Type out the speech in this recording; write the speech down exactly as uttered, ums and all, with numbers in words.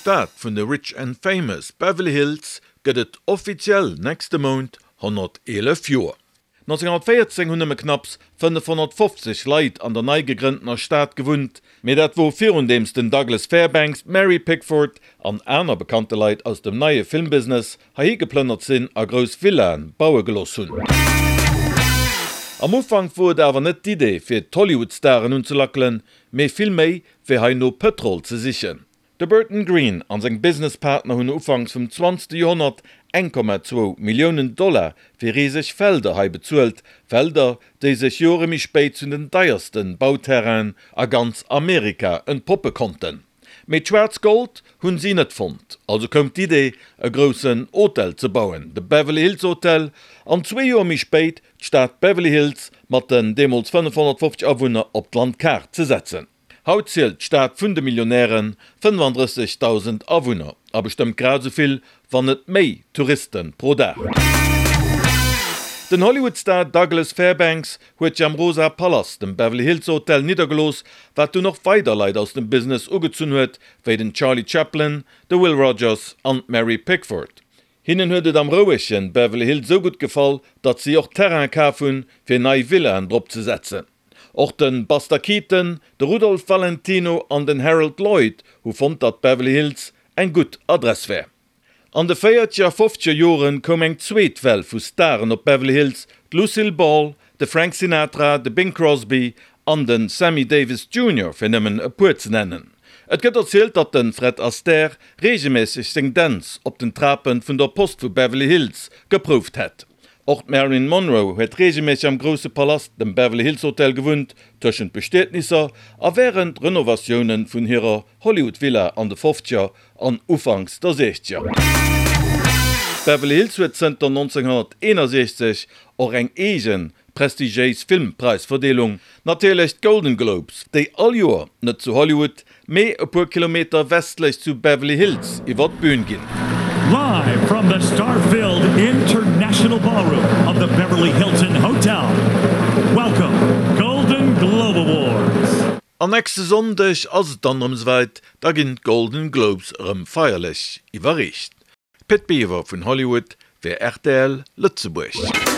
D'Stad vun de Rich and Famous, Beverly Hills, gëtt et offiziell nächste Mount honnerteelef Joer. nonzénghonnertvéierzéng hunn nëmme knapps fënnefhonnertfofzeg Leit an der nei gegrënntener Stad gewunnt, mee dat wor virundeems den Douglas Fairbanks, d'Mary Pickford an aner bekannte Leit aus dem neie Filmbusiness heihi geplënnert sinn a grouss Villaen baue gelooss hunn. Am Ufank wor et awer net d'Idee fir d'Hollywood-Staren unzelackelen, mee vill méi fir hei no Pëtrol ze sichen. De Burton Greene an seng Businesspartner hunn ufanks vum zwanzegste Joerhonnert eng Komma zwou Milliounen Dollar fir riseg Felder hei bezuelt, Felder, déi sech Jore méi spéit zu den deierste Bauterrainen a ganz Amerika entpoppe konnten. Mee d'schwaarz Gold hunn si net fonnt, also koum d'Idee, e groussen Hotel ze bauen, de Beverly Hills Hotel, an zwee Joer méi spéit d'Stad Beverly Hills mat den deemools fënnefhonnertfofzeg Awunner op d'Landkaart ze setzen. Haut zielt d'Stad vun de Millionären fënnefanddrëssegdausend Awunner a bestëmmt grad esou vill, wann net méi, Touriste pro Dag. Den Hollywood-Star Douglas Fairbanks huet sech am Rosa Palast, dem Beverly Hills Hotel, niddergelooss, wat dunn och weider Leit aus dem Business ugezunn huet, wéi den Charlie Chaplin, de Will Rogers an d'Mary Pickford. Hinnen huet et am rouege Beverly Hills esou gutt gefall, datt si och Terrain kaf hunn, fir nei Villaen drop ze setzen. Och de Buster Keaton, de Rudolph Valentino an den Harold Lloyd hu fonnt, datt Beverly Hills eng gutt Adress wär. An de véierzeger a fofzeger Jore koum eng zweet Well vu Staren op Beverly Hills, d'Lucille Ball, de Frank Sinatra, de Bing Crosby an de Sammy Davis Junior, fir nëmmen e puer ze nennen. Et gëtt erzielt, datt de Fred Astaire reegelméisseg seng Dänz op den Trape vun der Post vu Beverly Hills geprouft hätt. Och d'Marilyn Monroe huet reegelméisseg am grousse Palast, dem Beverly Hills Hotel, gewunnt, tëschent Bestietnisser a wärend Renovatioune vun hirer Hollywood-Villa an de Fofzeger an ufanks der Siechzeger. Beverly Hills huet zënter nonzénghonnerteenasiechzeg och eng eege prestigiéis Filmpräisverdeelung, natierlech d'Golden Globes, déi all Joer net zu Hollywood, mee e puer Kilometer westlech zu Beverly Hills iwwer d'Bün ginn. Live from the star-filled International Ballroom of the Beverly Hilton Hotel, welcome Golden Globe Awards. An nächste Sonndeg ass et dann erëm esouwäit, da ginn d'Golden Globes erëm feierlech iwwerreecht. Pit Biwer vun Hollywood fir rtl Lëtzebuerg.